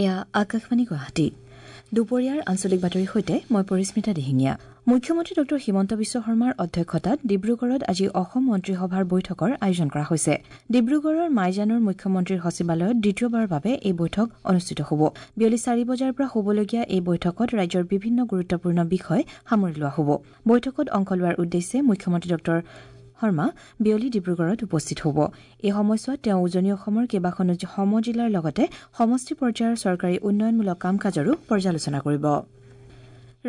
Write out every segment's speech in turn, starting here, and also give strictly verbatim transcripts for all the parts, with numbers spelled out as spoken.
এয়া আকাশবাণী গুৱাহাটী। দুপৰীয়াৰ আঞ্চলিক বাতৰিৰ সৈতে মই পৰিস্মিতা দিহিঙীয়া। মুখ্যমন্ত্ৰী ডঃ হিমন্ত বিশ্ব শৰ্মাৰ অধ্যক্ষতাত ডিব্ৰুগড়ত আজি অসম মন্ত্ৰীসভাৰ বৈঠকৰ আয়োজন কৰা হৈছে। ডিব্ৰুগড়ৰ মাইজানৰ মুখ্যমন্ত্ৰীৰ সচিবালয়ত দ্বিতীয়বাৰৰ বাবে এই বৈঠক অনুষ্ঠিত হ'ব। বিয়লি চাৰি বজাৰ পৰা হ'বলগীয়া এই বৈঠকত ৰাজ্যৰ বিভিন্ন গুৰুত্বপূৰ্ণ বিষয় সামৰি লোৱা হ'ব। বৈঠকত অংশ লোৱাৰ উদ্দেশ্যে মুখ্যমন্ত্ৰী ডঃ শৰ্মা বিয়লি ডিব্ৰুগড়ত উপস্থিত হ'ব। এই সময়ছোৱাত তেওঁ উজনি অসমৰ কেইবাখনো সমজিলাৰ লগতে সমষ্টি পৰ্যায়ৰ চৰকাৰী উন্নয়নমূলক কাম কাজৰো পৰ্যালোচনা কৰিব।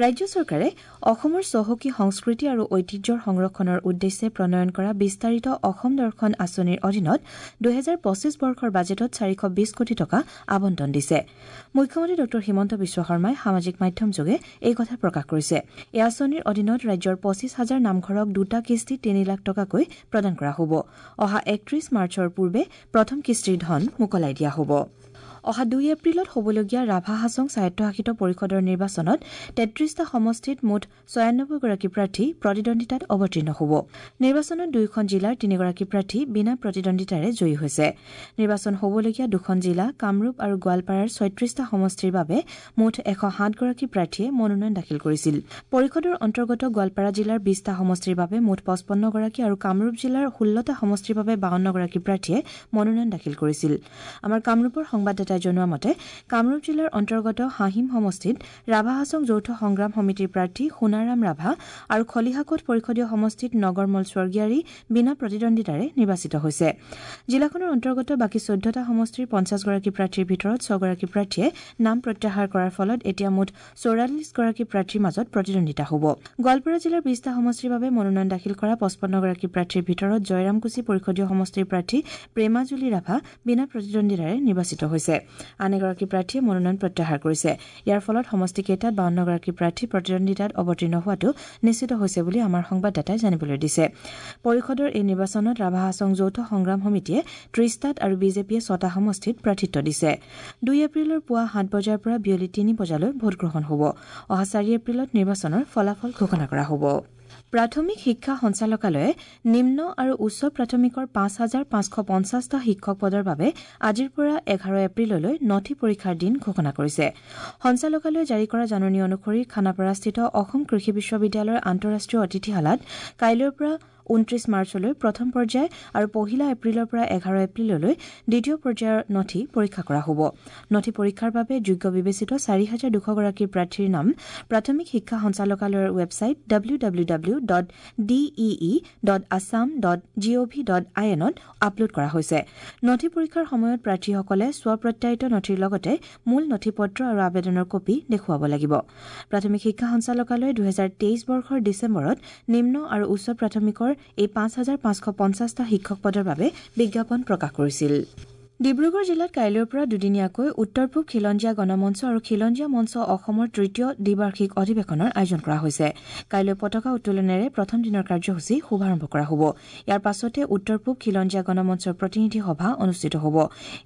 ৰাজ্য চৰকাৰে অসমৰ চহকী সংস্কৃতি আৰু ঐতিহ্যৰ সংৰক্ষণৰ উদ্দেশ্যে প্ৰণয়ন কৰা বিস্তাৰিত অসম দৰ্শন আঁচনিৰ অধীনত দুহেজাৰ পঁচিছ বৰ্ষৰ বাজেটত চাৰিশ বিশ কোটি টকা আবণ্টন দিছে। মুখ্যমন্ত্ৰী ডঃ হিমন্ত বিশ্ব শৰ্মাই সামাজিক মাধ্যমযোগে এই কথা প্ৰকাশ কৰিছে। এই আঁচনিৰ অধীনত ৰাজ্যৰ পঁচিছ হাজাৰ নামঘৰক দুটা কিস্তিত তিনি লাখ টকাকৈ প্ৰদান কৰা হ'ব। অহা একত্ৰিশ মাৰ্চৰ পূৰ্বে প্ৰথম কিস্তিৰ ধন মোকলাই দিয়া হ'ব। অহা দুই এপ্ৰিলত হ'বলগীয়া ৰাভা হাছং স্বায়ত্তশাসিত পৰিষদৰ নিৰ্বাচনত তেত্ৰিশটা সমষ্টিত মুঠ ছয়ানব্বৈগৰাকী প্ৰাৰ্থী প্ৰতিদ্বন্দ্বিতাত অৱতীৰ্ণ হ'ব। নিৰ্বাচনত দুয়োখন জিলাৰ তিনিগৰাকী প্ৰাৰ্থী বিনা প্ৰতিদ্বন্দ্বিতাৰে জয়ী হৈছে। নিৰ্বাচন হ'বলগীয়া দুখন জিলা কামৰূপ আৰু গোৱালপাৰাৰ ছয়ত্ৰিশটা সমষ্টিৰ বাবে মুঠ এশ সাতগৰাকী প্ৰাৰ্থীয়ে মনোনয়ন দাখিল কৰিছিল। পৰিষদৰ অন্তৰ্গত গোৱালপাৰা জিলাৰ বিশটা সমষ্টিৰ বাবে মুঠ পঁচপন্নগৰাকী আৰু কামৰূপ জিলাৰ ষোল্লটা সমষ্টিৰ বাবে বাৱন্নগৰাকী প্ৰাৰ্থীয়ে মনোনয়ন দাখিল কৰিছিল। আমাৰ কামৰূপৰ সংবাদদাতাই জনোৱা মতে কামৰূপ জিলাৰ অন্তৰ্গত হাহিম সমষ্টিত ৰাভা হাছং যৌথ সংগ্ৰাম সমিতিৰ প্ৰাৰ্থী সোণাৰাম ৰাভা আৰু খলিহাকোট পৰিষদীয় সমষ্টিত নগৰমল স্বৰ্গীয়াৰী বিনা প্ৰতিদ্বন্দ্বিতাৰে নিৰ্বাচিত হৈছে। জিলাখনৰ অন্তৰ্গত বাকী চৈধ্যটা সমষ্টিৰ পঞ্চাছগৰাকী প্ৰাৰ্থীৰ ভিতৰত ছগৰাকী প্ৰাৰ্থীয়ে নাম প্ৰত্যাহাৰ কৰাৰ ফলত এতিয়া মুঠ চৌৰাল্লিছগৰাকী প্ৰাৰ্থীৰ মাজত প্ৰতিদ্বন্দ্বিতা হ'ব। গোৱালপাৰা জিলাৰ বিশটা সমষ্টিৰ বাবে মনোনয়ন দাখিল কৰা পঁচপন্নগৰাকী প্ৰাৰ্থীৰ ভিতৰত জয়ৰামকুছি পৰিষদীয় সমষ্টিৰ প্ৰাৰ্থী প্ৰেমাজুলি ৰাভা বিনা প্ৰতিদ্বন্দ্বিতাৰে নিৰ্বাচিত হৈছে। আন এগৰাকী প্ৰাৰ্থীয়ে মনোনয়ন প্ৰত্যাহাৰ কৰিছে। ইয়াৰ ফলত সমষ্টিকেইটাত বাৱন্নগৰাকী প্ৰাৰ্থী প্ৰতিদ্বন্দ্বিতাত অৱতীৰ্ণ হোৱাটো নিশ্চিত হৈছে বুলি আমাৰ সংবাদদাতাই জানিবলৈ দিছে। পৰিষদৰ এই নিৰ্বাচনত ৰাভা হাছং যৌথ সংগ্ৰাম সমিতিয়ে ত্ৰিশটাত আৰু বিজেপিয়ে ছটা সমষ্টিত প্ৰাৰ্থিত্ব দিছে। দুই এপ্ৰিলৰ পুৱা সাত বজাৰ পৰা বিয়লি তিনি বজালৈ ভোটগ্ৰহণ হ'ব। অহা চাৰি এপ্ৰিলত নিৰ্বাচনৰ ফলাফল ঘোষণা কৰা হ'ব। প্ৰাথমিক শিক্ষা সঞ্চালকালয়ে নিম্ন আৰু উচ্চ প্ৰাথমিকৰ পাঁচ হাজাৰ পাঁচশ পঞ্চাছটা শিক্ষক পদৰ বাবে আজিৰ পৰা এঘাৰ এপ্ৰিললৈ নথি পৰীক্ষাৰ দিন ঘোষণা কৰিছে। সঞ্চালকালয়ে জাৰি কৰা জাননী অনুসৰি খানাপাৰাস্থিত অসম কৃষি বিশ্ববিদ্যালয়ৰ আন্তঃৰাষ্ট্ৰীয় অতিথিশালাত কাইলৈৰ পৰা ঊনত্ৰিশ মাৰ্চলৈ প্ৰথম পৰ্যায় আৰু পহিলা এপ্ৰিলৰ পৰা এঘাৰ এপ্ৰিললৈ দ্বিতীয় পৰ্যায়ৰ নথি পৰীক্ষা কৰা হ'ব। নথি পৰীক্ষাৰ বাবে যোগ্য বিবেচিত চাৰি হাজাৰ দুশগৰাকী প্ৰাৰ্থীৰ নাম প্ৰাথমিক শিক্ষা সঞ্চালকালয়ৰ website W W W dot D E E dot Assam dot G O V dot I এনত upload কৰা হৈছে। নথি পৰীক্ষাৰ সময়ত প্ৰাৰ্থীসকলে স্বপ্ৰত্যায়িত নথিৰ লগতে মূল নথি পত্ৰ আৰু আবেদনৰ কপি দেখুৱাব লাগিব। প্ৰাথমিক শিক্ষা সঞ্চালকালয়ে দুহেজাৰ তেইছ বৰ্ষৰ ডিচেম্বৰত নিম্ন আৰু উচ্চ প্ৰাথমিকৰ এই পাঁচ হাজাৰ পাঁচশ পঞ্চাছটা শিক্ষক পদৰ বাবে বিজ্ঞাপন প্ৰকাশ কৰিছিল। ডিব্ৰুগড় জিলাত কাইলৈৰ পৰা দুদিনীয়াকৈ উত্তৰ পূব খিলঞ্জীয়া গণমঞ্চ আৰু খিলঞ্জীয়া মঞ্চ অসমৰ তৃতীয় দ্বিবাৰ্ষিক অধিৱেশনৰ আয়োজন কৰা হৈছে। কাইলৈ পতাকা উত্তোলনেৰে প্ৰথম দিনৰ কাৰ্যসূচী শুভাৰম্ভ কৰা হ'ব। ইয়াৰ পাছতে উত্তৰ পূব খিলঞ্জীয়া গণমঞ্চৰ প্ৰতিনিধি সভা অনুষ্ঠিত হ'ব।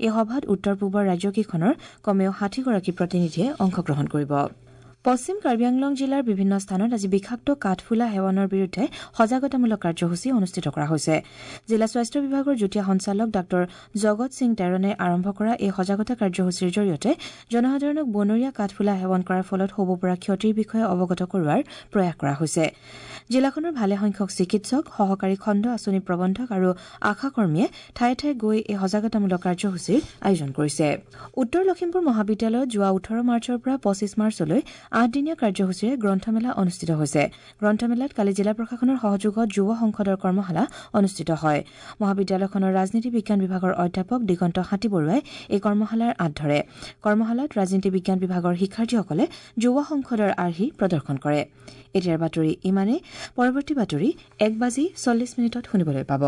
এই সভাত উত্তৰ পূবৰ ৰাজ্যকেইখনৰ কমেও ষাঠিগৰাকী প্ৰতিনিধিয়ে অংশগ্ৰহণ কৰিব। পশ্চিম কাৰ্বি আংলং জিলাৰ বিভিন্ন স্থানত আজি বিষাক্ত কাঠফুলা সেৱনৰ বিৰুদ্ধে সজাগতামূলক কাৰ্যসূচী অনুষ্ঠিত কৰা হৈছে। জিলা স্বাস্থ্য বিভাগৰ যুটীয়া সঞ্চালক ডাঃ জগত সিং টেৰণে আৰম্ভ কৰা এই সজাগতা কাৰ্যসূচীৰ জৰিয়তে জনসাধাৰণক বনৰীয়া কাঠফুলা সেৱন কৰাৰ ফলত হ'ব পৰা ক্ষতিৰ বিষয়ে অৱগত কৰোৱাৰ প্ৰয়াস কৰা হৈছে। জিলাখনৰ ভালেসংখ্যক চিকিৎসক, সহকাৰী খণ্ড আঁচনি প্ৰবন্ধক আৰু আশাকৰ্মীয়ে ঠায়ে ঠায়ে গৈ এই সজাগতামূলক কাৰ্যসূচীৰ আয়োজন কৰিছে। উত্তৰ লখিমপুৰ মহাবিদ্যালয়ত যোৱা ওঠৰ মাৰ্চৰ পৰা পঁচিছ মাৰ্চলৈ আঠদিনীয়া কাৰ্যসূচীৰে গ্ৰন্থমেলা অনুষ্ঠিত হৈছে। গ্ৰন্থমেলাত কালি জিলা প্ৰশাসনৰ সহযোগত যুৱ সংসদৰ কৰ্মশালা অনুষ্ঠিত হয়। মহাবিদ্যালয়খনৰ ৰাজনীতি বিজ্ঞান বিভাগৰ অধ্যাপক দিগন্ত হাতীবৰুৱাই এই কৰ্মশালাৰ আঁত ধৰে। কৰ্মশালাত ৰাজনীতি বিজ্ঞান বিভাগৰ শিক্ষাৰ্থীসকলে যুৱ সংসদৰ আৰ্হি প্ৰদৰ্শন কৰে। এতিয়াৰ বাতৰি ইমানেই। পৰৱৰ্তী বাতৰি এক বাজি চল্লিছ মিনিটত শুনিবলৈ পাব।